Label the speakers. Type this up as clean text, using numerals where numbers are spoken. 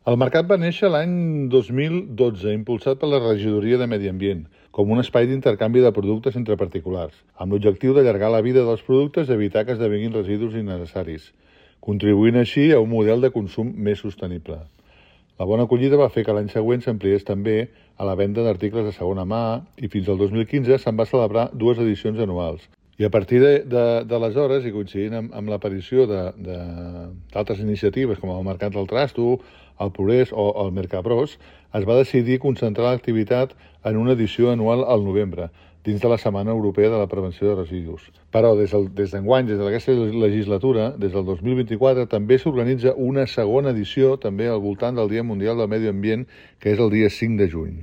Speaker 1: El mercat va néixer l'any 2012, impulsat per la Regidoria de Medi Ambient, com un espai d'intercanvi de productes entre particulars, amb l'objectiu d'allargar la vida dels productes i evitar que esdevinguin residus innecessaris, contribuint així a un model de consum més sostenible. La bona acollida va fer que l'any següent s'ampliés també a la venda d'articles de segona mà i fins al 2015 se'n va celebrar 2 edicions anuals. I a partir d'aleshores, i coincidint amb l'aparició d'altres iniciatives com el Mercat del Trasto, el Progrés o el Mercabros, es va decidir concentrar l'activitat en una edició anual al novembre, dins de la Setmana Europea de la Prevenció de Residus. Però des d'enguany, des d'aquesta legislatura, des del 2024, també s'organitza una segona edició també al voltant del Dia Mundial del Medi Ambient, que és el dia 5 de juny.